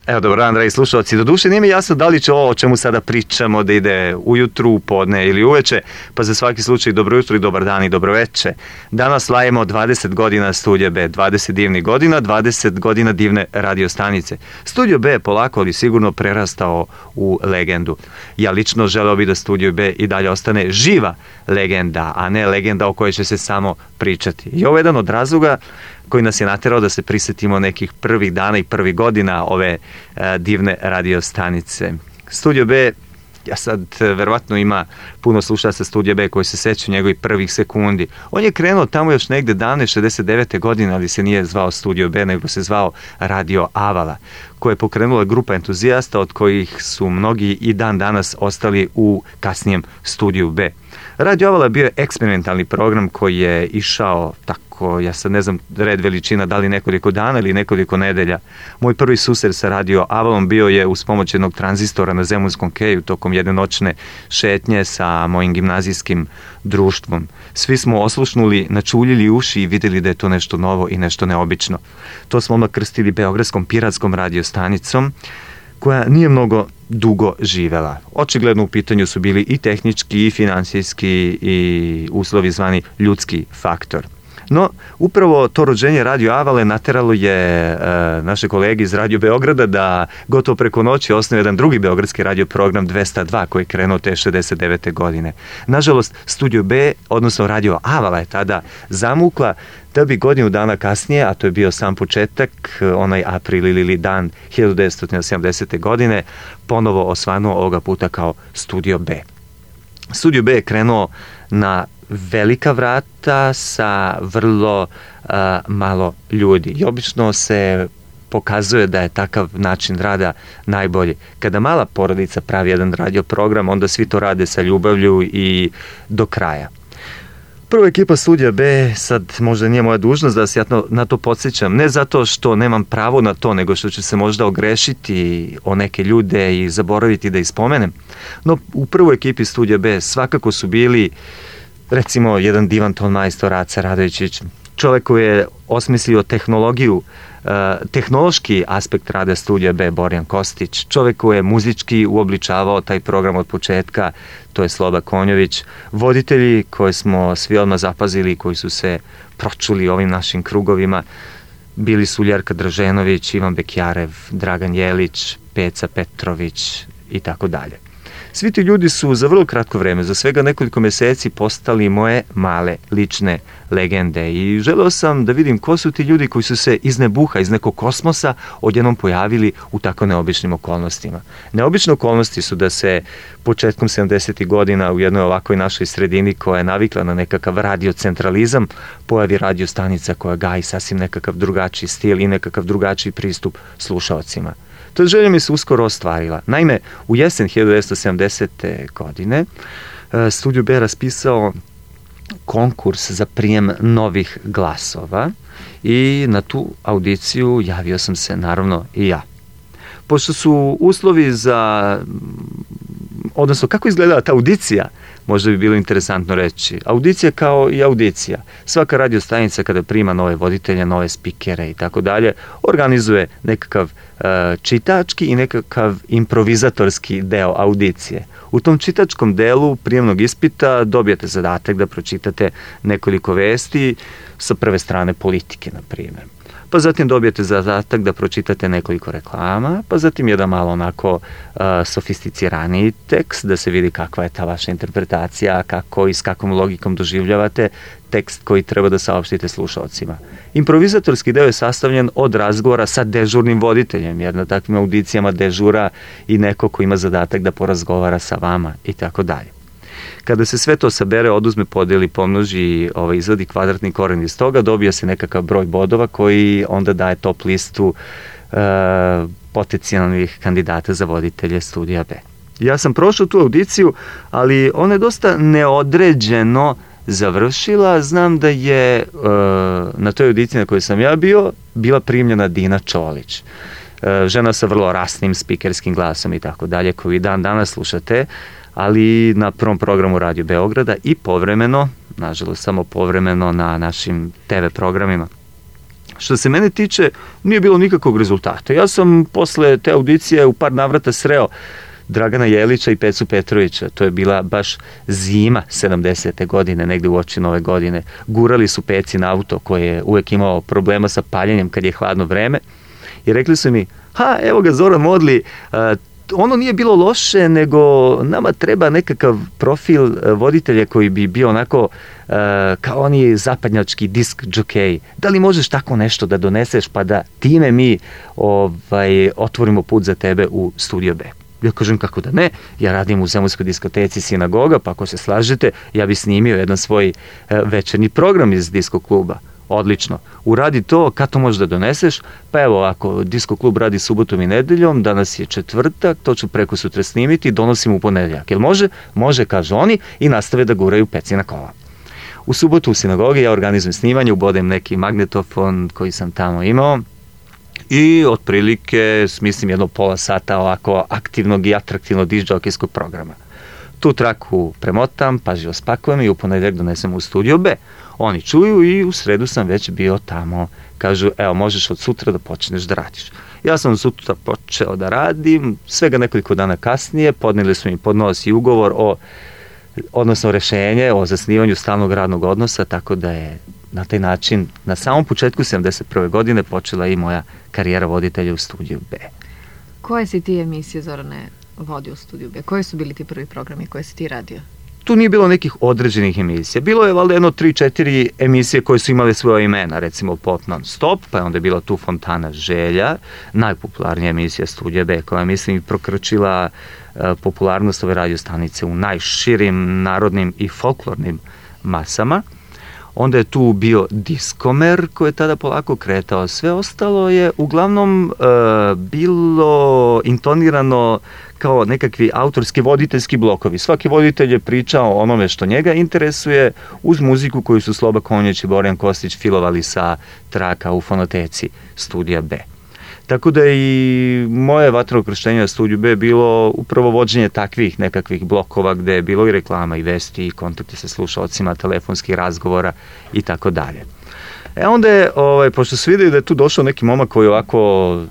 Evo, dobro dan, dragi slušalci. Doduše nije mi jasno da li će ovo o čemu sada pričamo da ide ujutru, podne ili uveče, pa za svaki slučaj dobro jutro i dobar dan i dobro veče. Danas slavimo 20 godina Studija B, 20 divnih godina, 20 godina divne radio stanice. Studio B je polako ali sigurno prerastao u legendu. Ja lično želeo bih da Studio B i dalje ostane živa legenda, a ne legenda o kojoj će se samo pričati. I ovo je jedan od razloga koji nas je naterao da se prisetimo nekih prvih dana i prvih godina ove divne radio stanice. Studio B, ja sad verovatno ima puno slušalaca Studija B koji se sećaju njegovih prvih sekundi. On je krenuo tamo još negde davne 69. godine, ali se nije zvao Studio B, nego se zvao Radio Avala, koja je pokrenula grupa entuzijasta od kojih su mnogi i dan danas ostali u kasnijem Studiju B. Radio Avala je bio eksperimentalni program koji je išao tako, ja sad ne znam red veličina, da li nekoliko dana ili nekoliko nedelja. Moj prvi susret sa Radio Avalom bio je uz pomoć jednog tranzistora na Zemunskom keju tokom jedne noćne šetnje sa mojim gimnazijskim društvom. Svi smo oslušnuli, načuljili uši i vidjeli da je to nešto novo i nešto neobično. To smo odmah krstili Beogradskom piratskom radiostanicom, koja nije mnogo dugo živela. Očigledno u pitanju su bili i tehnički i finansijski i uslovi zvani ljudski faktor. No, upravo to rođenje Radio Avale nateralo je naše kolege iz Radio Beograda da gotovo preko noći osnovu jedan drugi beogradski radio program 202 koji je krenuo te 69. godine. Nažalost, Studio B, odnosno Radio Avala je tada zamukla da bi godinu dana kasnije, a to je bio sam početak, onaj april ili dan 1970. godine, ponovo osvanuo ovoga puta kao Studio B. Studio B je krenuo na velika vrata sa vrlo malo ljudi. I obično se pokazuje da je takav način rada najbolji. Kada mala porodica pravi jedan radio program, onda svi to rade sa ljubavlju i do kraja. Prva ekipa Studija B, sad možda nije moja dužnost da se ja na to podsjećam, ne zato što nemam pravo na to, nego što ću se možda ogrešiti o neke ljude i zaboraviti da ih spomenem. No, u prvoj ekipi Studija B svakako su bili, recimo, jedan divan tonmajstor Aca Radovićić, čovjek koji je osmislio tehnologiju, tehnološki aspekt rada Studija B, Borjan Kostić, čovjek koji je muzički uobličavao taj program od početka, to je Sloba Konjović, voditelji koje smo svi odmah zapazili, koji su se pročuli ovim našim krugovima, bili su Ljerka Draženović, Ivan Bekjarev, Dragan Jelić, Peca Petrović i tako dalje. Svi ti ljudi su za vrlo kratko vreme, za svega nekoliko meseci, postali moje male lične legende i želeo sam da vidim ko su ti ljudi koji su se iz nebuha, iz nekog kosmosa odjednom pojavili u tako neobičnim okolnostima. Neobične okolnosti su da se početkom 70. godina u jednoj ovakvoj našoj sredini koja je navikla na nekakav radiocentralizam pojavi radiostanica koja gaji sasvim nekakav drugačiji stil i nekakav drugačiji pristup slušaocima. To želja mi se uskoro ostvarila. Naime, u jesen 1970. godine Studio B raspisao konkurs za prijem novih glasova i na tu audiciju javio sam se naravno i ja. Pošto su uslovi za, odnosno kako izgledala ta audicija, možda bi bilo interesantno reći. Audicija kao i audicija. Svaka radiostanica kada prima nove voditelje, nove spikere i tako dalje, organizuje nekakav čitački i nekakav improvizatorski deo audicije. U tom čitačkom delu prijemnog ispita dobijete zadatak da pročitate nekoliko vesti sa prve strane politike, na primjer. Pa zatim dobijete zadatak da pročitate nekoliko reklama, pa zatim jedan malo onako sofisticiraniji tekst, da se vidi kakva je ta vaša interpretacija, kako i s kakvom logikom doživljavate tekst koji treba da saopštite slušalcima. Improvizatorski deo je sastavljen od razgovora sa dežurnim voditeljem, jer na takvim audicijama dežura i neko ko ima zadatak da porazgovara sa vama i tako dalje. Kada se sve to sabere, oduzme, podeli, pomnoži, izvadi kvadratni koren iz toga, dobija se nekakav broj bodova koji onda daje top listu potencijalnih kandidata za voditelje Studija B. Ja sam prošao tu audiciju, ali ona je dosta neodređeno završila. Znam da je na toj audiciji na kojoj sam ja bio, bila primljena Dina Čolić. Žena sa vrlo rasnim spikerskim glasom i tako dalje, koju i dan danas slušate, ali na prvom programu Radio Beograda i povremeno, nažalost samo povremeno, na našim TV programima. Što se mene tiče, nije bilo nikakvog rezultata. Ja sam posle te audicije u par navrata sreo Dragana Jelića i Pecu Petrovića. To je bila baš zima 70. godine, negde u oči Nove godine. Gurali su Peci na auto koji je uvek imao problema sa paljenjem kad je hladno vreme. I rekli su mi, evo ga Zoran Modli, ono nije bilo loše, nego nama treba nekakav profil voditelja koji bi bio onako kao oni zapadnjački disk džokej. Da li možeš tako nešto da doneseš pa da time mi otvorimo put za tebe u Studio B? Ja kažem kako da ne, ja radim u Zemunskoj diskoteci Sinagoga, pa ako se slažete, ja bi snimio jedan svoj večernji program iz disko kluba. Odlično. Uradi to, kad to možeš da doneseš? Pa evo, ako disko klub radi subotom i nedeljom, danas je četvrtak, to ću preko sutra snimiti i donosim u ponedeljak. Jel može? Može, kažu oni i nastave da guraju Pecina kola. U subotu u Sinagogi ja organizujem snimanje, ubodem neki magnetofon koji sam tamo imao i otprilike smislim jedno pola sata ovako aktivnog i atraktivnog disc-džokejskog programa. Tu traku premotam, pažljivo spakujem i u ponedeljak donesem u Studio B. Oni čuju i u sredu sam već bio tamo. Kažu, evo, možeš od sutra da počneš da radiš. Ja sam od sutra počeo da radim, svega nekoliko dana kasnije podneli su mi podnos i ugovor odnosno rešenje o zasnivanju stalnog radnog odnosa, tako da je na taj način na samom početku 71. godine počela i moja karijera voditelja u Studiju B. Koje si ti emisije, Zorane, vodio u Studiju B? Koji su bili ti prvi programi koje si ti radio? Tu nije bilo nekih određenih emisija. Bilo je valjda 3-4 emisije koje su imale svoje imena, recimo Pop non stop, pa je onda bila tu Fontana želja, najpopularnija emisija Studija B, koja mislim prokrčila popularnost ove radio stanice u najširim narodnim i folklornim masama. Onda je tu bio Diskomer koji je tada polako kretao. Sve ostalo je uglavnom bilo intonirano kao nekakvi autorski voditeljski blokovi. Svaki voditelj je pričao o onome što njega interesuje uz muziku koju su Sloba Konjić i Borjan Kostić filovali sa traka u fonoteci Studija B. Tako da i moje vatreno krštenje na Studiju B bilo upravo vođenje takvih nekakvih blokova gde je bilo i reklama i vesti i kontakti sa slušalcima, telefonskih razgovora i tako dalje. Onda je, pošto su videli da je tu došao neki momak koji ovako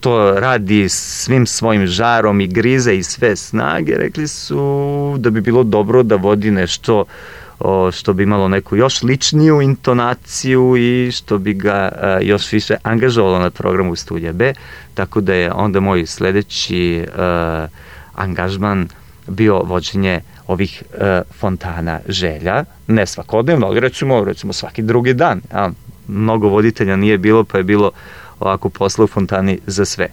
to radi svim svojim žarom i grize i sve snage, rekli su da bi bilo dobro da vodi nešto što bi imalo neku još ličniju intonaciju i što bi ga još više angažovalo na programu Studija B, tako da je onda moj sledeći angažman bio vođenje ovih Fontana želja, ne svakodnevno, ali recimo svaki drugi dan. Mnogo voditelja nije bilo, pa je bilo ovako posla u Fontani za sve.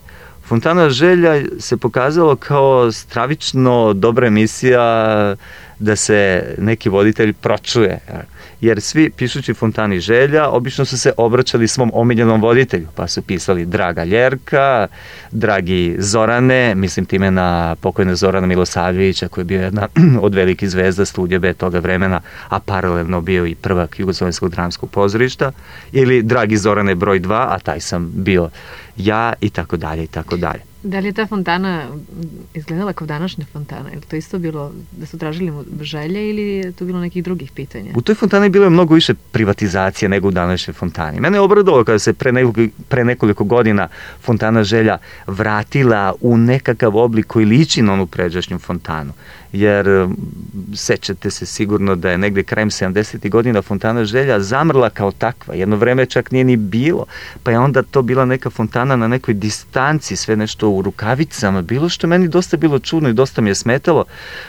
Fontana želja se pokazalo kao stravično dobra emisija da se neki voditelj pročuje. Jer svi pišući Fontani želja obično su se obraćali svom omiljenom voditelju, pa su pisali Draga Ljerka, Dragi Zorane, mislim time na pokojna Zorana Milosavljevića koji je bio jedna od velikih zvezda Studija B toga vremena, a paralelno bio i prvak Jugoslovenskog dramskog pozorišta, ili Dragi Zorane broj 2, a taj sam bio ja i tako dalje i tako dalje. Da li je ta Fontana izgledala kao današnja Fontana? Je li to isto bilo da su tražili želje ili je to bilo nekih drugih pitanja? U toj Fontani bilo je mnogo više privatizacije nego u današnjoj Fontani. Mene je obradovalo kada se pre nekoliko godina Fontana želja vratila u nekakav oblik koji liči na onu pređašnju Fontanu. Jer sećate se sigurno da je negde krajem 70. godina Fontana želja zamrla kao takva. Jedno vreme čak nije ni bilo. Pa je onda to bila neka fontana na nekoj distanci, sve nešto u rukavicama. Bilo što meni dosta bilo čudno i dosta mi je smetalo.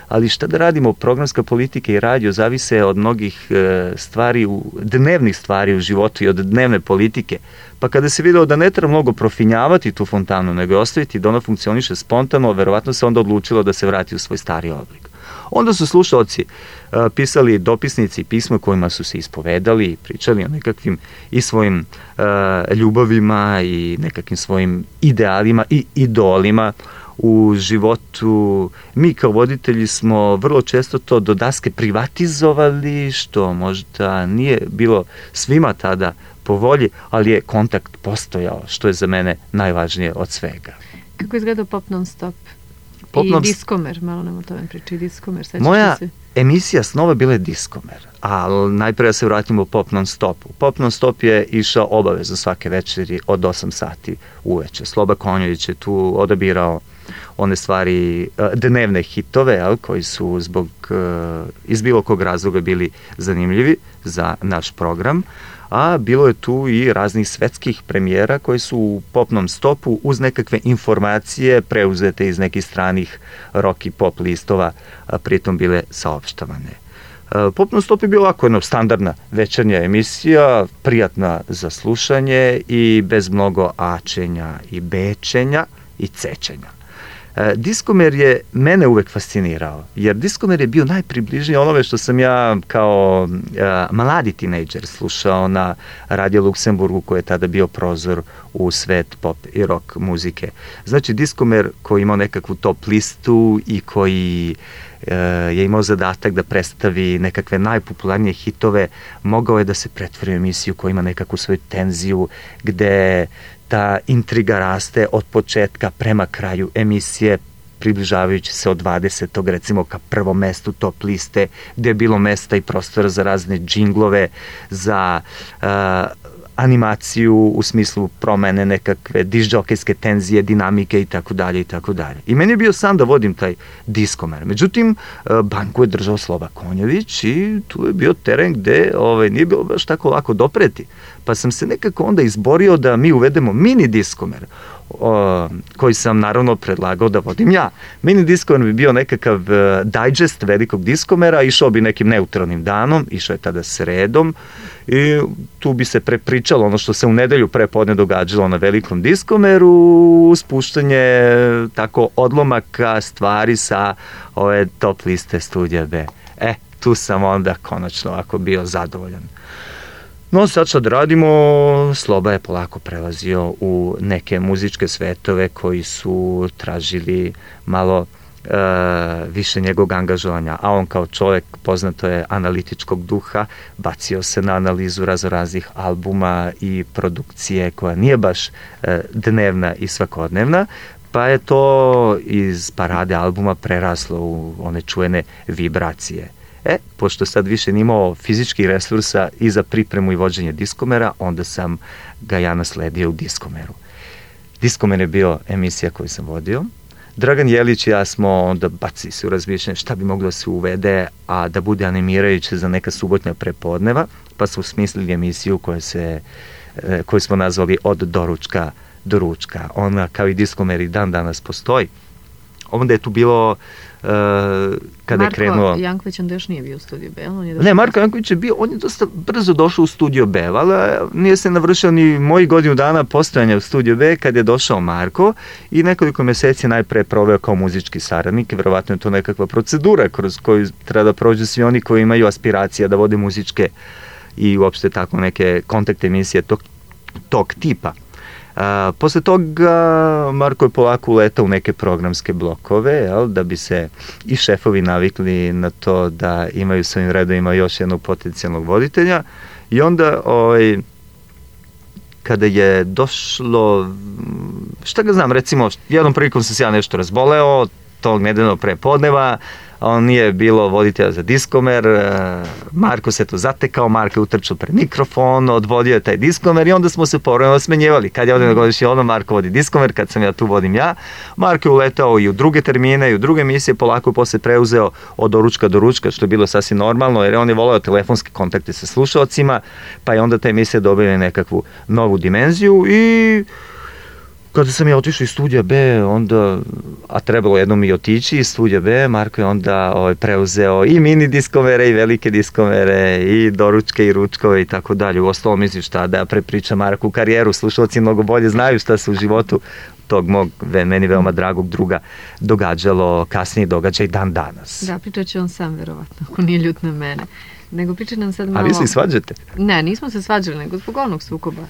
Ali šta da radimo? Programska politika i radio zavise od mnogih stvari, dnevnih stvari u životu i od dnevne politike. Pa kada se videlo da ne treba mnogo profinjavati tu fontanu, nego je ostaviti da ona funkcioniše spontano, verovatno se onda odlučilo da se vrati u svoj stari oblik. Onda su slušalci pisali dopisnici i pisma kojima su se ispovedali i pričali o nekakvim i svojim ljubavima i nekakvim svojim idealima i idolima u životu. Mi kao voditelji smo vrlo često to do daske privatizovali, što možda nije bilo svima tada po volji, ali je kontakt postojao, što je za mene najvažnije od svega. Kako je izgledao Pop non stop? I Diskomer, malo nam o tome priči, Diskomer, sećaš moja se? Emisija snova bila je Diskomer, ali najprije se vratimo u Pop non stop. Pop non stop je išao obavezno svake večeri od 8 sati uveče. Sloba Konjović je tu odabirao one stvari, dnevne hitove, koji su iz bilo kog razloga bili zanimljivi za naš program, a bilo je tu i raznih svetskih premijera koji su u Pop non stopu uz nekakve informacije preuzete iz nekih stranih rock i pop listova, pritom bile saopštavane. Pop non stop je bio ovako jedna standardna večernja emisija, prijatna za slušanje i bez mnogo ačenja i bečenja i cečenja. Diskomer je mene uvek fascinirao, jer Diskomer je bio najpribližniji onome što sam ja kao mladi tinejdžer slušao na Radio Luksemburgu, koji je tada bio prozor u svet pop i rock muzike. Znači Diskomer koji imao nekakvu top listu i koji je imao zadatak da predstavi nekakve najpopularnije hitove, mogao je da se pretvori u emisiju koja ima nekakvu svoju tenziju, gde ta intriga raste od početka prema kraju emisije, približavajući se od 20. recimo ka prvom mestu top liste, gde je bilo mesta i prostora za razne džinglove, za animaciju u smislu promene nekakve diskdžokejske tenzije, dinamike i tako dalje i tako dalje. I meni je bio san da vodim taj Diskomer. Međutim, banku je držao Sloba Konjović i tu je bio teren gde nije bilo baš tako lako dopreti. Pa sam se nekako onda izborio da mi uvedemo mini Diskomer, koji sam naravno predlagao da vodim ja. Mini Diskomer bi bio nekakav digest velikog Diskomera, išao bi nekim neutralnim danom, išao je tada sredom i tu bi se prepričalo ono što se u nedelju prepodne događalo na velikom Diskomeru, spuštanje tako odlomaka stvari sa ove top liste Studija B. Tu sam onda konačno ovako bio zadovoljan. No sad što radimo, Sloba je polako prelazio u neke muzičke svetove koji su tražili malo više njegovog angažovanja, a on kao čovjek, poznato je, analitičkog duha, bacio se na analizu raznoraznih albuma i produkcije koja nije baš dnevna i svakodnevna, pa je to iz parade albuma preraslo u one čuvene vibracije. Pošto sad više nimao fizičkih resursa i za pripremu i vođenje Diskomera, onda sam ga ja nasledio u Diskomeru. Diskomer je bio emisija koju sam vodio. Dragan Jelić i ja smo onda bacili se u razmišljanje šta bi moglo da se uvede, a da bude animirajuće za neka subotnja prepodneva, pa smo smislili emisiju koju smo nazvali Od doručka do ručka. Ona, kao i Diskomer, i dan danas postoji. Onda je tu bilo kada je krenuo... Marko Janković onda još nije bio u Studiju B, Ne, Marko Janković je bio, on je dosta brzo došao u Studio B, ali nije se navršio ni moji godinu dana postojanja u Studio B kad je došao Marko i nekoliko meseci najpre proveo kao muzički saradnik. Verovatno je to nekakva procedura kroz koju treba da prođu svi oni koji imaju aspiracija da vode muzičke i uopšte tako neke kontakt emisije tog tipa. Posle toga Marko je polako uletao u neke programske blokove, da bi se i šefovi navikli na to da imaju svojim redovima još jednog potencijalnog voditelja. I onda kada je došlo, šta ga znam, recimo jednom prilikom sam se ja nešto razboleo tog nedeljnog prepodneva, on nije bilo voditelja za Diskomer, Marko se to zatekao, Marko je utrčao pred mikrofon, odvodio je taj Diskomer i onda smo se povremeno smenjivali. Kad je ovdje na godišnji odmor, Marko vodi Diskomer, kad sam ja tu, vodim ja. Marko je uletao i u druge termine i u druge emisije, polako je posle preuzeo Od doručka do ručka, što je bilo sasvim normalno, jer on je voleo telefonske kontakte sa slušalcima, pa je onda ta emisija dobila nekakvu novu dimenziju. I kada sam ja otišao iz Studija B, onda, a trebalo jednom i otići iz Studija B, Marko je onda preuzeo i mini Diskomere i velike Diskomere i doručke i ručkove i tako dalje. U ostalom, mislim šta da prepričam Marku karijeru, slušalci mnogo bolje znaju šta se u životu tog mog, meni veoma dragog druga događalo, kasnije događa i dan danas. Da, pričat će on sam verovatno, ako nije ljut na mene. Nego pričat nam sad malo... A vi se i svađate? Ne, nismo se svađali, nego zbog onog sukoba.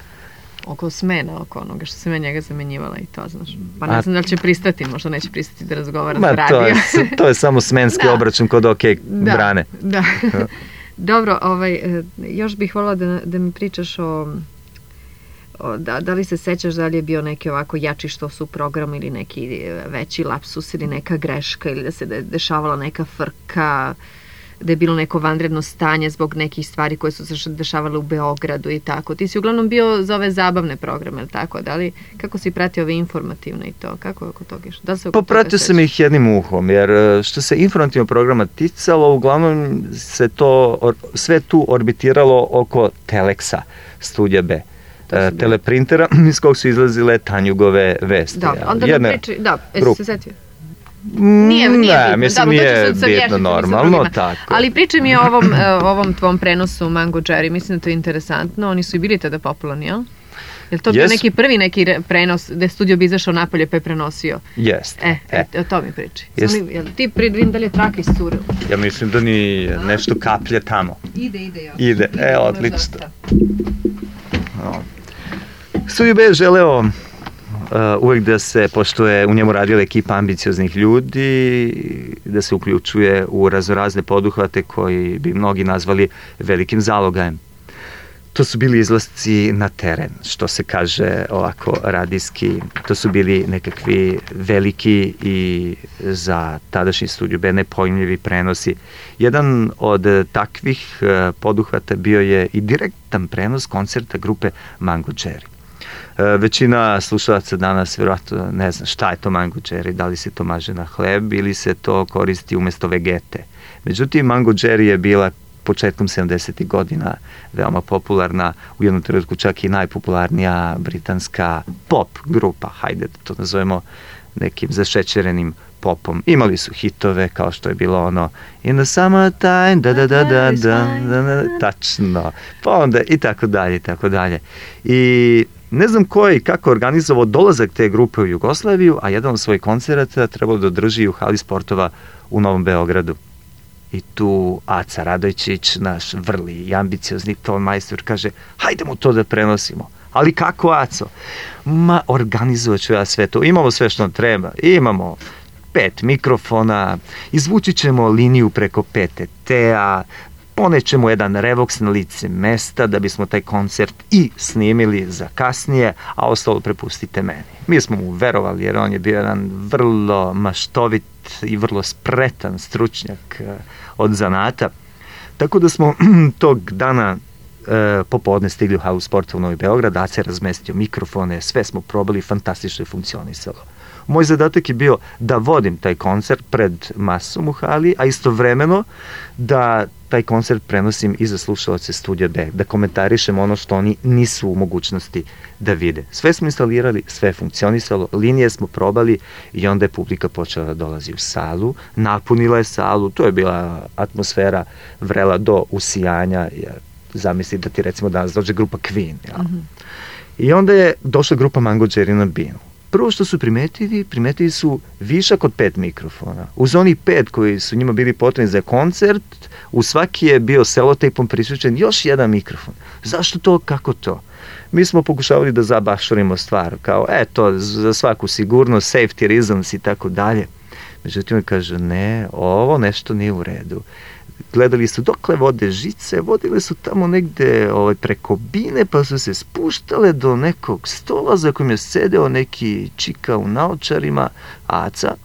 Oko smena, oko onoga što sam ja njega zamenjivala i to, znaš. Pa ne znam da li će pristati, možda neće pristati da razgovara sa radio. To je samo smenski obračun kod brane. Da. Dobro, još bih voljela da mi pričaš Da li se sećaš da li je bio neki ovako jači što su program ili neki veći lapsus ili neka greška ili da se dešavala neka frka, da je bilo neko vanredno stanje zbog nekih stvari koje su se dešavale u Beogradu i tako. Ti si uglavnom bio za ove zabavne programe, ili tako? Da li, kako si pratio ove informativne i to? Kako oko toga išlo? Popratio sam ih jednim uhom, jer što se informativnog programa ticalo, uglavnom se to, sve tu orbitiralo oko Teleksa, Studija B. Teleprintera iz kog su izlazile Tanjugove vesti. Da, onda da priči, jesi se setio? Nije bitno, normalno, tako. Ali pričaj mi o ovom tvom prenosu Mango Jerry, mislim da to je interesantno, oni su i bili tada popularni, jel? Je li to bio neki prvi neki prenos gde studio bi izašao napolje pa je prenosio? Jeste. O to mi priči. Ti vidim da li je traka iscurila? Ja mislim da ni nešto kaplje tamo. Ide, odlično. Studio B je želeo uvek da se, pošto je u njemu radila ekipa ambicioznih ljudi, da se uključuje u raznorazne poduhvate koji bi mnogi nazvali velikim zalogajem. To su bili izlasci na teren, što se kaže ovako radijski. To su bili nekakvi veliki i za tadašnji Studio B nepojmljivi prenosi. Jedan od takvih poduhvata bio je i direktan prenos koncerta grupe Mango Jerry. Većina slušalaca danas vjerojatno ne zna šta je to Mango Jerry, da li se to maže na hleb ili se to koristi umesto vegete. Međutim, Mango Jerry je bila početkom 70. godina veoma popularna, u jednom trenutku čak i najpopularnija britanska pop grupa, hajde da to nazovemo nekim zašećerenim popom. Imali su hitove kao što je bilo ono In the summertime, tačno, pa onda i tako dalje. I ne znam ko je i kako organizovao dolazak te grupe u Jugoslaviju, a jedan od svojih koncerata trebalo da održi u hali sportova u Novom Beogradu. I tu Aca Radojčić, naš vrli i ambiciozni ton majstor, kaže, hajde mu to da prenosimo. Ali kako, Aco? Ma, organizovat ću ja sve to. Imamo sve što nam treba. Imamo 5 mikrofona, izvući ćemo liniju preko PTT-a, ponećemo jedan revoks na lice mesta da bismo taj koncert i snimili za kasnije, a ostalo prepustite meni. Mi smo mu verovali jer on je bio jedan vrlo maštovit i vrlo spretan stručnjak od zanata. Tako da smo tog dana popodne stigli u halu sporta u Novi Beograd, Aca je razmestio mikrofone, sve smo probali, fantastično je funkcionisalo. Moj zadatak je bio da vodim taj koncert pred masom u hali, a istovremeno da taj koncert prenosim i za slušalace Studija B, da komentarišem ono što oni nisu u mogućnosti da vide. Sve smo instalirali, sve je funkcionisalo, linije smo probali i onda je publika počela da dolazi u salu, napunila je salu, to je bila atmosfera vrela do usijanja, zamisli da ti recimo danas dođe grupa Queen. I onda je došla grupa Mango Jerry na binu. Prvo što su primetili su višak od 5 mikrofona. Uz onih 5 koji su njima bili potrebni za koncert, u svaki je bio selotejpom prisvučen još jedan mikrofon. Zašto to, kako to? Mi smo pokušavali da zabašurimo stvar, kao eto, za svaku sigurnost, safety reasons i tako dalje. Međutim, kaže, ne, ovo nešto nije u redu. Gledali su dokle vode žice, vodile su tamo negde preko bine, pa su se spuštale do nekog stola za kojim je sedeo neki čika u naočarima, Aca,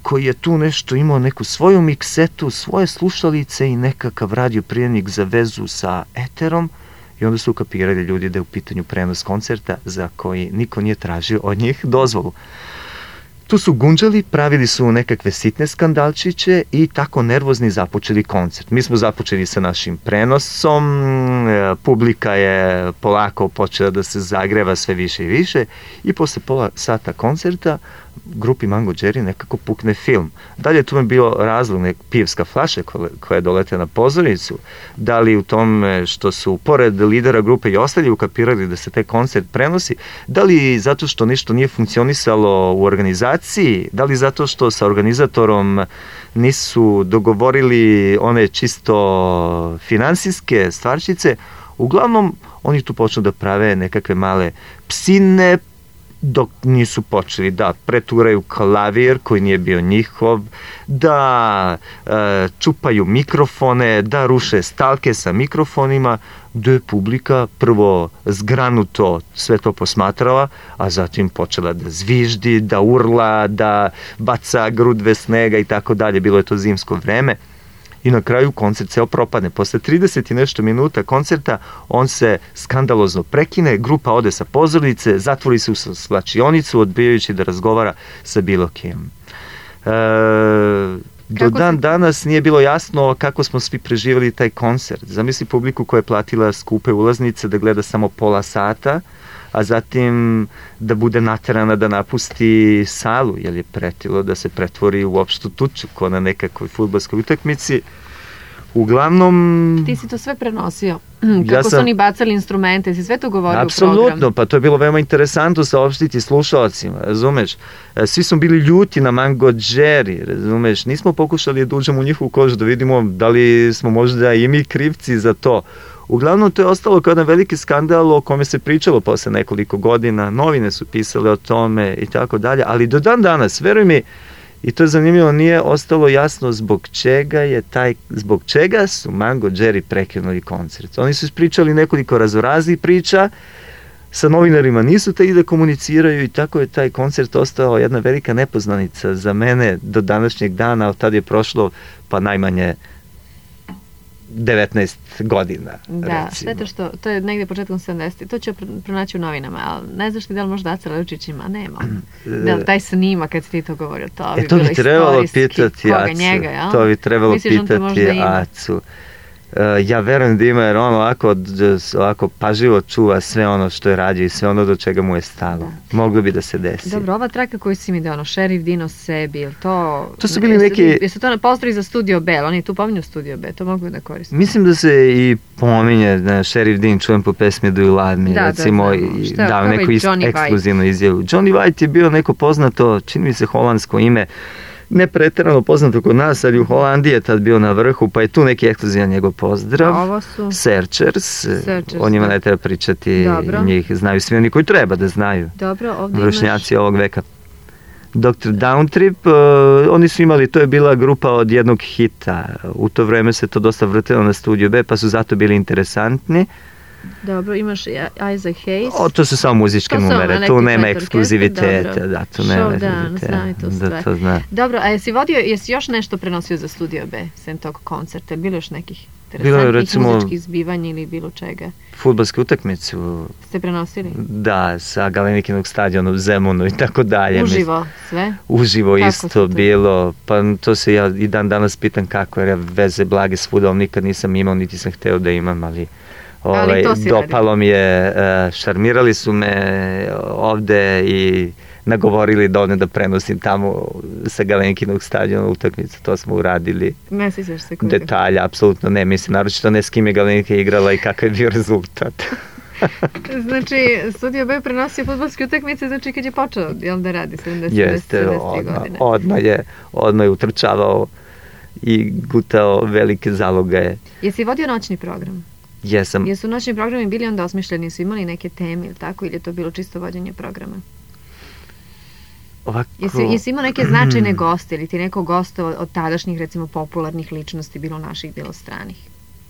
koji je tu nešto imao neku svoju miksetu, svoje slušalice i nekakav radio prijemnik za vezu sa eterom, i onda su ukapirali ljudi da je u pitanju prenos koncerta za koji niko nije tražio od njih dozvolu. Tu su gunđali, pravili su nekakve sitne skandalčiće i tako nervozni započeli koncert. Mi smo započeli sa našim prenosom, publika je polako počela da se zagreva sve više i više i posle pola sata koncerta grupi Mango Jerry nekako pukne film. Dalje tu je bio razlog, pivska flaša koja je doletela na pozornicu, da li u tome što su pored lidera grupe i ostali ukapirali da se taj koncert prenosi, da li zato što nešto nije funkcionisalo u organizaciji, da li zato što sa organizatorom nisu dogovorili one čisto finansijske stvarčice. Uglavnom, oni tu počnu da prave nekakve male psine, dok nisu počeli da preturaju klavir koji nije bio njihov, da čupaju mikrofone, da ruše stalke sa mikrofonima, gde je publika prvo zgranuto sve to posmatrala, a zatim počela da zviždi, da urla, da baca grudve snega i tako dalje. Bilo je to zimsko vreme. I na kraju koncert ceo propadne. Posle 30 i nešto minuta koncerta on se skandalozno prekine, grupa ode sa pozornice, zatvori se u svlačionicu odbijajući da razgovara sa bilo kim. Do dan danas nije bilo jasno kako smo svi preživjeli taj koncert. Zamisli publiku koja je platila skupe ulaznice da gleda samo pola sata, a zatim da bude naterana da napusti salu, jer je pretilo da se pretvori u opštu tuču ko na nekakvoj fudbalskoj utakmici. Uglavnom... Ti si to sve prenosio. Kako su oni bacali instrumente, si sve to govorio u programu. Apsolutno, pa to je bilo veoma interesantno saopštiti slušalcima, razumeš? Svi smo bili ljuti na Mango Jerry, razumeš? Nismo pokušali da uđemo u njihovu kožu, da vidimo da li smo možda i mi krivci za to. Uglavnom, to je ostalo kao jedan veliki skandal o kome se pričalo posle nekoliko godina, novine su pisale o tome i tako dalje, ali do dan danas, veruj mi, i to je zanimljivo, nije ostalo jasno zbog čega su Mango Jerry prekinuli koncert. Oni su ispričali nekoliko raznoraznih priča, sa novinarima nisu te da komuniciraju i tako je taj koncert ostao jedna velika nepoznanica za mene do današnjeg dana, od tada je prošlo pa najmanje 19 godina, da, recimo. Šteta što, to je negde početkom 70. To ću pronaći u novinama, ali ne znaš ti da li možda Aca Levčićima, nema. Da li taj snima kad si ti to govorio, to bi to bilo bi trebalo istorijski. Pitati Koga, Acu. njega, jel? To bi trebalo Misliš pitati Acu. Ja verujem da ima, jer on ovako pažljivo čuva sve ono što je radio i sve ono do čega mu je stalo. Moglo bi da se desi. Dobro, ova traka koju si mi dao, Šerif Dino sebi, je to... To su bili neki... Jesu to na pozdravi za Studio B, oni tu pominju Studio B, to mogu da koristim. Mislim da se i pominje, Šerif Din čujem po pesmi Do You Love Me, recimo, i dao neku ekskluzivnu izjavu. Johnny White je bio neko poznato, čini mi se holandsko ime, ne preterano poznato kod nas, ali u Holandiji je tad bio na vrhu, pa je tu neki ekskluzivan njegov pozdrav. A ovo su? Searchers, o njima ne treba pričati, dobro. Njih znaju svi oni koji treba da znaju. Dobro, ovdje vršnjaci ovog veka. Dr. Downtrip, oni su imali, to je bila grupa od jednog hita. U to vreme se to dosta vrtilo na Studio B, pa su zato bili interesantni. Dobro, imaš Isaac Hayes. To su samo muzičke numere, tu nema ekskluziviteta. Da, tu nema ekskluziviteta. Dobro, a jesi još nešto prenosio za Studio B, sem tog koncerta? Bilo još nekih interesantnih muzičkih zbivanja ili bilo čega? Fudbalsku utakmicu. Ste prenosili? Da, sa Galenikinog stadiona u Zemunu i tako dalje. Uživo sve? Uživo isto bilo. Pa to se ja i dan danas pitam kako, jer ja veze blage s fudbalom nikad nisam imao, niti sam hteo da imam, ali dopalo mi je, šarmirali su me ovde i nagovorili da odem da prenosim tamo sa Galenkinog stadiona utakmicu, to smo uradili. Ne sjećaš se koliko? Detalja, apsolutno ne, mislim, naročito ne s kim je Galenka igrala i kakav je bio rezultat. Znači, Studio B prenosio fudbalske utakmice, znači kad je počeo, jel da radi 70. Jeste, odmah je utrčavao i gutao velike zalogaje. Jesi vodio noćni program? Jesam. Jesu noćni programi bili onda osmišljeni, su imali neke teme ili tako, ili je to bilo čisto vođenje programa? Ovako... Jesi imao neke značajne goste ili ti neko goste od tadašnjih, recimo, popularnih ličnosti, bilo naših, bilo stranih?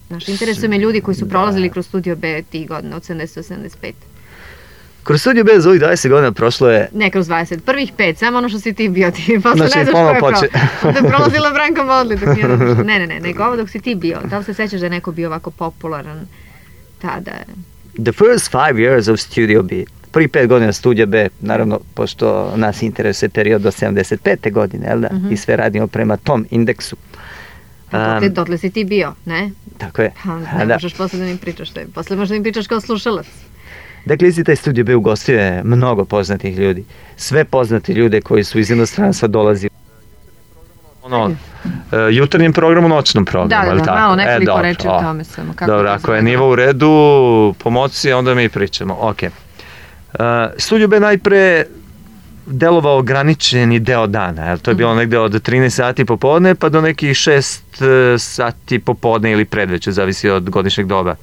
Znaš, interesuje me ljudi koji su prolazili kroz Studio B tih godina, od 70-75. Kroz Studio B za ovih 20 godina prošlo je... Ne kroz 20, prvih 5, samo ono što si ti bio, ti posle ne znaš ko je onda je prolazila Branka Modli. Ne, nego ovo dok si ti bio, da li se sećaš da je neko bio ovako popularan tada? The first 5 years of Studio B, prvi 5 godina Studio B, naravno, pošto nas interesuje period do 75. godine, jel da? I sve radimo prema tom indeksu. Dotle si ti bio, ne? Tako je. Ne možeš posle da mi pričaš, posle možda mi pričaš kao slušalac. Dakle, isti taj Studio B ugostio je mnogo poznatih ljudi. Sve poznati ljude koji su iz inostranstva dolazili. Jutarnjem programu, noćnom programu. Da, malo nekoliko reči o tome samo. Dobro, ako je nivo u redu, pomoći, onda mi pričamo. Ok. Studio B najpre delovao ograničeni deo dana. To je bilo negde od 13 sati popodne pa do nekih 6 sati popodne ili predveče, zavisi od godišnjeg doba.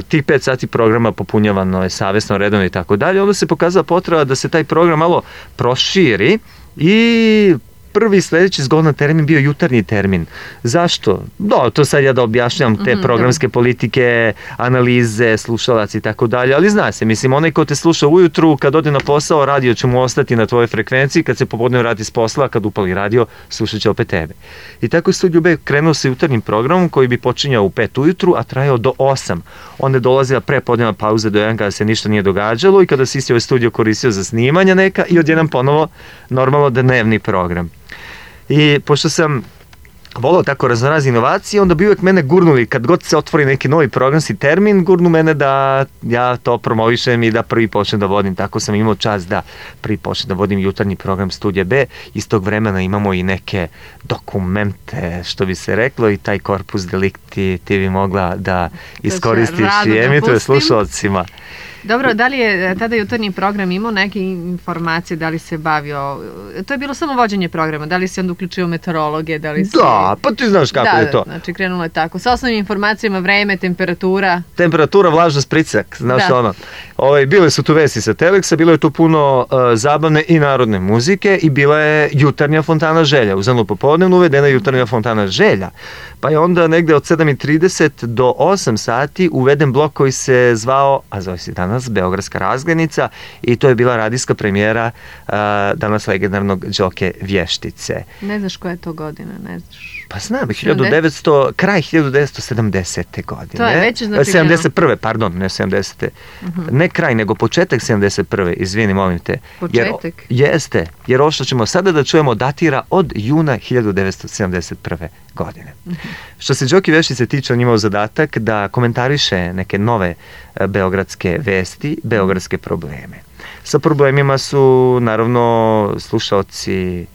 tih 5 sati programa popunjavano je savjesno, redovno i tako dalje. Onda se pokazala potreba da se taj program malo proširi i prvi sledeći zgodan termin bio jutarnji termin. Zašto? To sad ja da objašnjam te programske politike, analize, slušalac i tako dalje, ali zna se, mislim, onaj ko te sluša ujutru, kad ode na posao, radio će mu ostati na tvojoj frekvenciji, kad se popodne vrati s posla, kad upali radio, slušat će opet tebe. I tako je Studio B krenuo sa jutarnjim programom koji bi počinjao u 5 ujutru, a trajao do 8. Onda je dolazila prepodnevna pauza do 1 kada se ništa nije događalo i kada se isti ovaj studio koristio za snimanja neka i odjednom ponovo normalno dnevni program. I pošto sam volao tako raznorazne inovacije, onda bi uvijek mene gurnuli, kad god se otvori neki novi programski termin, gurnu mene da ja to promovišem i da prvi počnem da vodim. Tako sam imao čast da prvi počnem da vodim jutarnji program Studija B. Iz tog vremena imamo i neke dokumente, što bi se reklo, i taj korpus delikti ti bi mogla da iskoristiš i emituje slušalcima. Dobro, da li je tada jutarnji program imao neke informacije, da li se bavio, to je bilo samo vođenje programa, da li se onda uključio meteorologe, da li se... Da, pa ti znaš kako je to. Znači krenulo je tako, sa osnovnim informacijama, vreme, temperatura. Temperatura, vlažnost, pritisak, znaš ono. Bile su tu vesti sa Teleksa, bilo je tu puno zabavne i narodne muzike i bila je jutarnja fontana želja. U zanu popodnevnu uvedena jutarnja fontana želja. Pa je onda negde od 7:30 do 8 sati uveden blok koji se zvao, a zove se danas Beogradska razglednica, i to je bila radijska premijera danas legendarnog Đoke Vještice. Ne znaš koja je to godina, ne znaš? Pa znam, kraj 1970. godine. To je već znači... 71. pardon, ne 70. Ne kraj, nego početak 71. Izvini, molim te. Početak? Jeste, jer ovo što ćemo sada da čujemo datira od juna 1971. godine. Što se Đoke Vještice tiče, on imao zadatak da komentariše neke nove beogradske vesti, beogradske probleme. Sa problemima su, naravno, slušaoci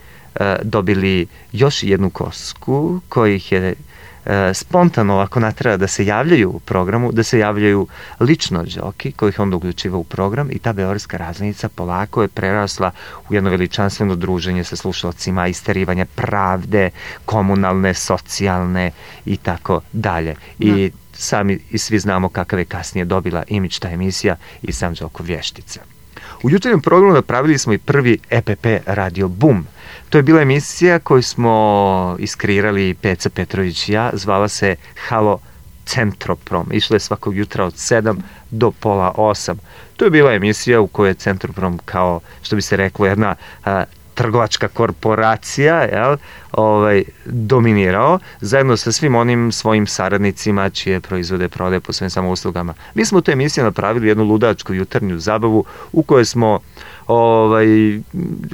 dobili još jednu kosku kojih je spontano ovako natreba da se javljaju u programu, da se javljaju lično Đoki, kojih onda uključiva u program, i ta Beogradska razglednica polako je prerasla u jedno veličanstveno druženje sa slušalcima, isterivanje pravde, komunalne, socijalne i tako dalje. I sami i svi znamo kakav je kasnije dobila imidž ta emisija i sam Đoko Vještica. U jutarnjem programu napravili smo i prvi EPP Radio Boom. To je bila emisija koju smo iskreirali Peca Petrović i ja, zvala se Halo Centroprom. Išla je svakog jutra od 7 do pola 8. To je bila emisija u kojoj je Centroprom, kao što bi se reklo, jedna trgovačka korporacija, dominirao, zajedno sa svim onim svojim saradnicima čije proizvode prodaje po svojim samouslugama. Mi smo u toj emisiji napravili jednu ludačku jutarnju zabavu u kojoj smo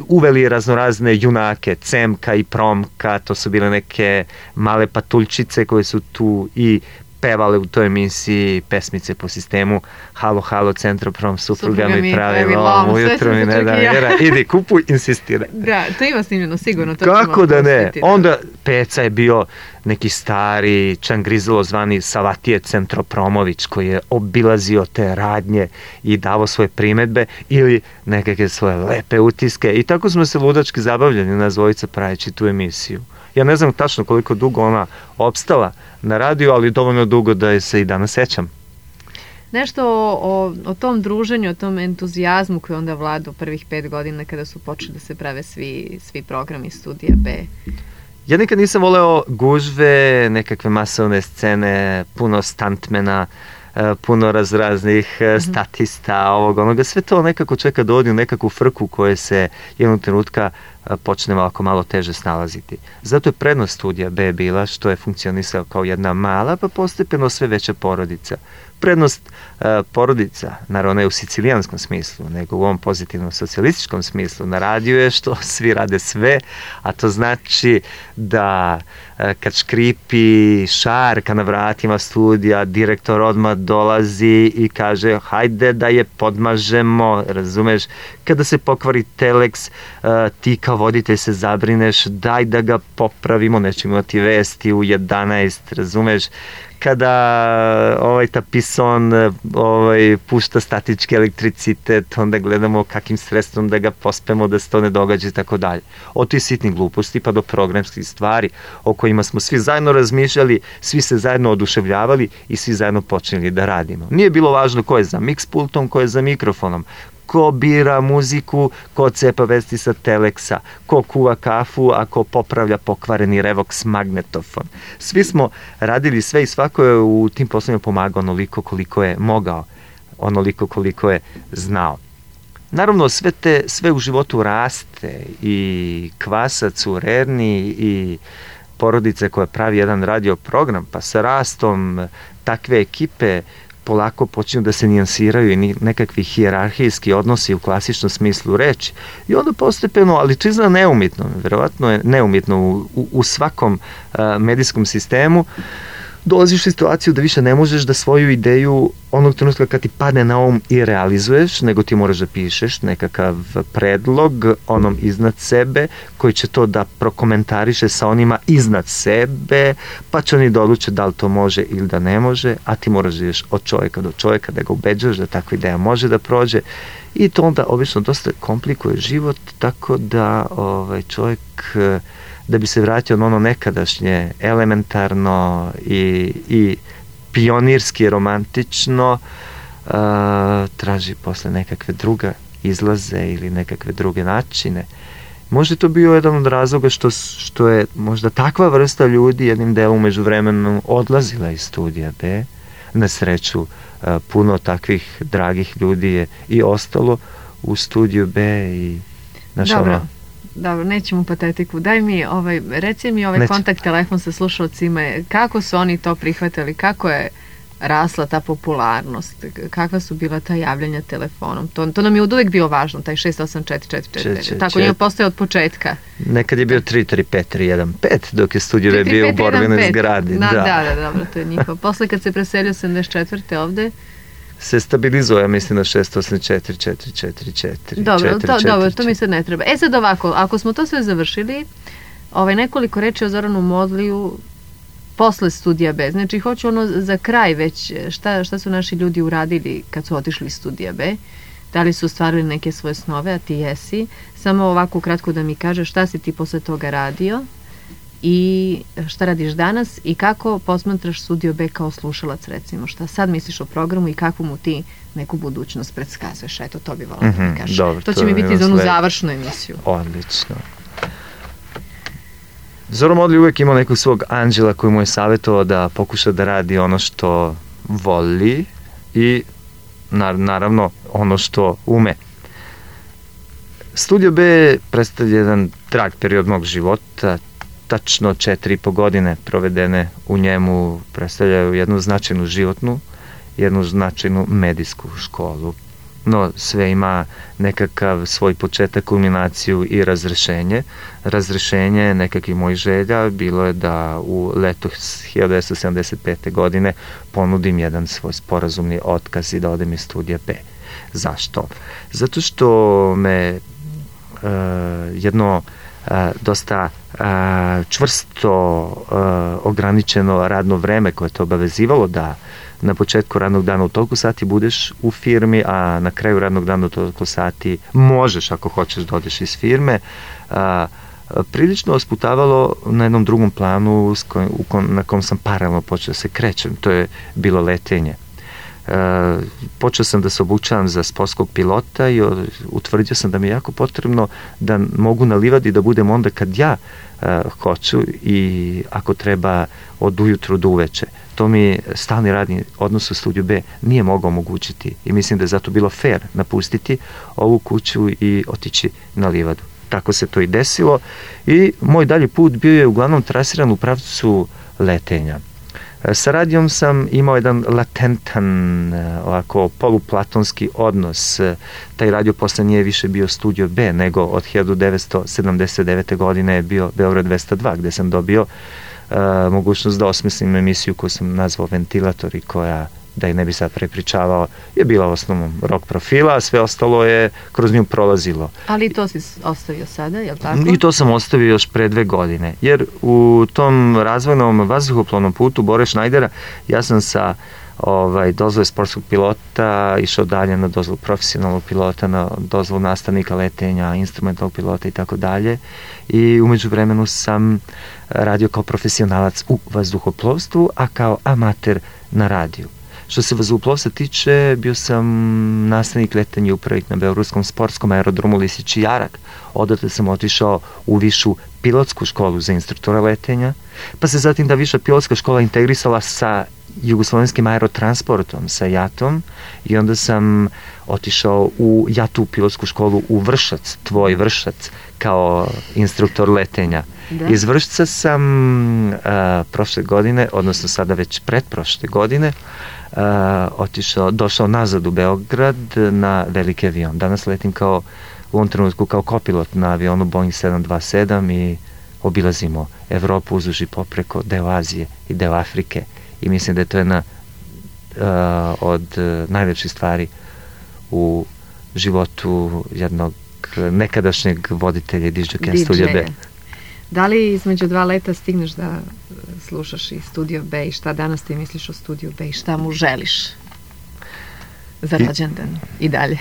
uveli raznorazne junake, Cemka i Promka, to su bile neke male patuljčice koje su tu i pevale u toj emisiji pesmice po sistemu Halo, halo, Centroprom, supruga mi pravi lom, ujutro mi ne da mjera, idi kupuj, insistiraj. Da, to ima snimljeno sigurno. To kako da ne? Onda Peca je bio neki stari čangrizelo zvani Savatije Centropromović, koji je obilazio te radnje i davo svoje primedbe ili nekakve svoje lepe utiske, i tako smo se ludački zabavljali nas dvojica praveći tu emisiju. Ja ne znam tačno koliko dugo ona opstala na radiju, ali dovoljno dugo da je se i danas sećam. Nešto o tom druženju, o tom entuzijazmu koji onda vlada u prvih 5 godina kada su počeli da se prave svi programi Studija B. Ja nikad nisam voleo gužve, nekakve masovne scene, puno stuntmena, puno raznih statista, onoga, sve to nekako čeka da odi u nekakvu frku koje se jednog trenutka počne malo teže snalaziti. Zato je prednost Studija B bila što je funkcionisao kao jedna mala, pa postepeno sve veća porodica. Prednost porodica, naravno ne u sicilijanskom smislu, nego u ovom pozitivnom socijalističkom smislu na radiju je što svi rade sve, a to znači da kad škripi šarka na vratima studija, direktor odmah dolazi i kaže hajde da je podmažemo, razumeš? Kada se pokvari teleks, ti kao voditelj se zabrineš, daj da ga popravimo, nećemo imati vesti u 11, razumeš, kada tapison pušta statički elektricitet, onda gledamo kakim sredstvom da ga pospemo da se to ne događa i tako dalje. Od tih sitnih gluposti pa do programskih stvari o kojima smo svi zajedno razmišljali, svi se zajedno oduševljavali i svi zajedno počeli da radimo. Nije bilo važno ko je za mix pultom, ko je za mikrofonom, ko bira muziku, ko cepa vesti sa teleksa, ko kuva kafu, a ko popravlja pokvareni Revox magnetofon. Svi smo radili sve i svako je u tim poslovima pomagao onoliko koliko je mogao, onoliko koliko je znao. Naravno, sve u životu raste, i kvasac u Rerni i porodice koja pravi jedan radio program, pa sa rastom takve ekipe polako počinju da se nijansiraju i nekakvi hijerarhijski odnosi u klasičnom smislu reči. I onda postepeno, ali to izgleda neumitno, verovatno je neumitno u svakom medijskom sistemu, dolaziš u situaciju da više ne možeš da svoju ideju onog trenutka kad ti padne na um i realizuješ, nego ti moraš da pišeš nekakav predlog onom iznad sebe, koji će to da prokomentariše sa onima iznad sebe, pa će oni da odluče da li to može ili da ne može, a ti moraš da ideš od čovjeka do čovjeka, da ga ubeđuješ da takva ideja može da prođe, i to onda obično dosta komplikuje život, tako da čovjek, da bi se vratio na ono nekadašnje elementarno i pionirski romantično, traži posle nekakve druge izlaze ili nekakve druge načine. Možda je to bio jedan od razloga što je možda takva vrsta ljudi jednim delom među vremenom odlazila iz studija B. Na sreću, puno takvih dragih ljudi je i ostalo u studiju B i Dobro, nećemo patetiku. Daj mi, reci mi kontakt telefon sa slušalcima, kako su oni to prihvatili, kako je rasla ta popularnost, kakva su bila ta javljanja telefonom. To nam je uvijek bilo važno, taj 68444. Tako nije postoje od početka. Nekad je bio 335-315, dok je studio je bio u borbenoj zgradi. Da, dobro, to je njihovo. Posle kad se preselio 74. ovde, se stabilizuje, mislim, na 684-444. Dobro, to mi sad ne treba. Sad ovako, ako smo to sve završili, nekoliko reči o Zoranu Modliju posle studija B. Znači, hoću za kraj već, šta su naši ljudi uradili kad su otišli iz studija B, da li su ostvarili neke svoje snove, a ti jesi. Samo ovako kratko da mi kažeš šta si ti posle toga radio i šta radiš danas i kako posmatraš studio B kao slušalac, recimo, šta sad misliš o programu i kakvu mu ti neku budućnost predskazuješ. Eto, to bi volila da mi kažeš. To će mi biti za onu završnu emisiju. Odlično. Zoran Modli uvek imao nekog svog anđela koji mu je savjetovao da pokuša da radi ono što voli i naravno ono što ume. Studio B predstavlja jedan drag period mog života. Tačno 4,5 godine provedene u njemu predstavljaju jednu značajnu životnu, jednu značajnu medijsku školu. No, sve ima nekakav svoj početak, kulminaciju i razrešenje. Razrešenje nekakvih mojih želja bilo je da u leto 1975. godine ponudim jedan svoj sporazumni otkaz i da odem iz studija B. Zašto? Zato što me jedno dosta čvrsto ograničeno radno vreme koje te obavezivalo da na početku radnog dana u toliko sati budeš u firmi, a na kraju radnog dana u toliko sati možeš, ako hoćeš, da odeš iz firme, prilično osputavalo na jednom drugom planu na kom sam paralelno počeo da se krećem. To je bilo letenje. Počeo sam da se obučavam za sportskog pilota i utvrdio sam da mi je jako potrebno da mogu na livadi da budem onda kad ja hoću i ako treba od ujutru do uveče. To mi stalni radni odnos u studiju B nije mogao omogućiti i mislim da je zato bilo fair napustiti ovu kuću i otići na livadu. Tako se to i desilo i moj dalji put bio je uglavnom trasiran u pravcu letenja. Sa radijom sam imao jedan latentan, ovako poluplatonski odnos. Taj radio posle nije više bio studio B, nego od 1979. godine je bio Beograd 202, gde sam dobio mogućnost da osmislim emisiju koju sam nazvao Ventilator i koja da je ne bi sad prepričavao, je bila u osnovnom rock profila, a sve ostalo je kroz nju prolazilo. Ali to si ostavio sada, je li tako? I to sam ostavio još pre 2 godine, jer u tom razvojnom vazduhoplovnom putu Bore Šnajdera ja sam sa dozvole sportskog pilota išao dalje na dozvolu profesionalnog pilota, na dozvolu nastavnika letenja, instrumentalnog pilota i tako dalje. I umeđu vremenu sam radio kao profesionalac u vazduhoplovstvu, a kao amater na radiju. Što se vazduhoplovstva tiče, bio sam nastavnik letenja i upravnik na Beogradskom sportskom aerodromu Lisić i Jarak. Odatle sam otišao u višu pilotsku školu za instruktora letenja, pa se zatim ta viša pilotska škola integrisala sa jugoslovenskim aerotransportom, sa JAT-om, i onda sam otišao u JAT-u pilotsku školu u Vršac, tvoj Vršac, kao instruktor letenja. Da. Iz Vršca sam prošle godine, odnosno sada već pretprošle godine, došao nazad u Beograd na veliki avion. Danas letim u ovom trenutku kao kopilot na avionu Boeing 727 i obilazimo Evropu uzduž i popreko, deo Azije i deo Afrike. I mislim da je to jedna od najlepših stvari u životu jednog nekadašnjeg voditelja i dižđokeja Studio B. Da li između 2 leta stigneš da slušaš i Studio B i šta danas ti misliš o Studio B i šta mu želiš za rođendan i dalje?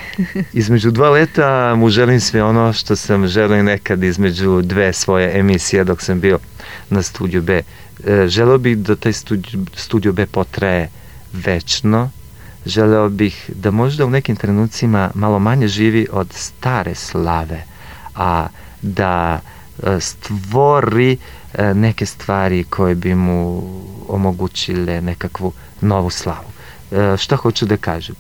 Između 2 leta mu želim sve ono što sam želio nekad između 2 svoje emisije dok sam bio na Studio B. Želeo bih da taj Studio B potraje večno. Želeo bih da možda u nekim trenucima malo manje živi od stare slave, a da stvori neke stvari koje bi mu omogućile nekakvu novu slavu. Šta hoću da kažem?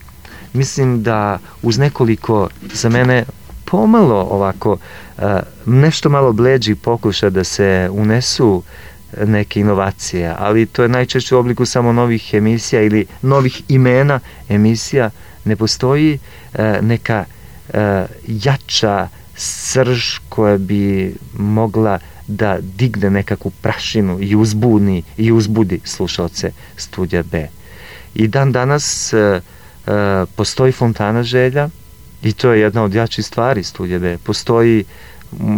Mislim da uz nekoliko, za mene pomalo ovako, nešto malo bleđi pokuša da se unesu neke inovacije, ali to je najčešće u obliku samo novih emisija ili novih imena emisija. Ne postoji neka jača srž koja bi mogla da digne nekakvu prašinu i uzbudi slušalce Studija B. I dan danas postoji fontana želja i to je jedna od jačih stvari Studija B. Postoji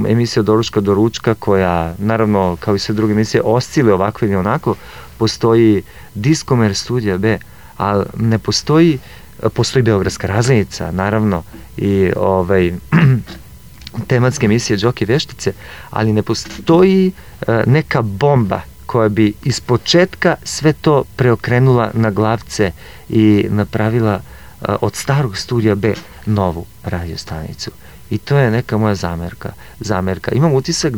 emisija Doručka do ručka koja, naravno, kao i sve druge emisije, oscile ovako ili onako. Postoji Diskomer Studija B, ali ne postoji Beogradska razglednica, naravno, i tematske emisije Đoke veštice, ali ne postoji neka bomba koja bi iz početka sve to preokrenula na glavce i napravila od starog Studija B novu radio stanicu. I to je neka moja zamerka. Imam utisak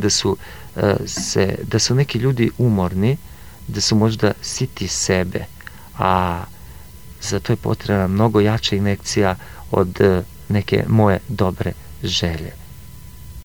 da su neki ljudi umorni, da su možda siti sebe, a za to je potrebna mnogo jača injekcija od neke moje dobre želje.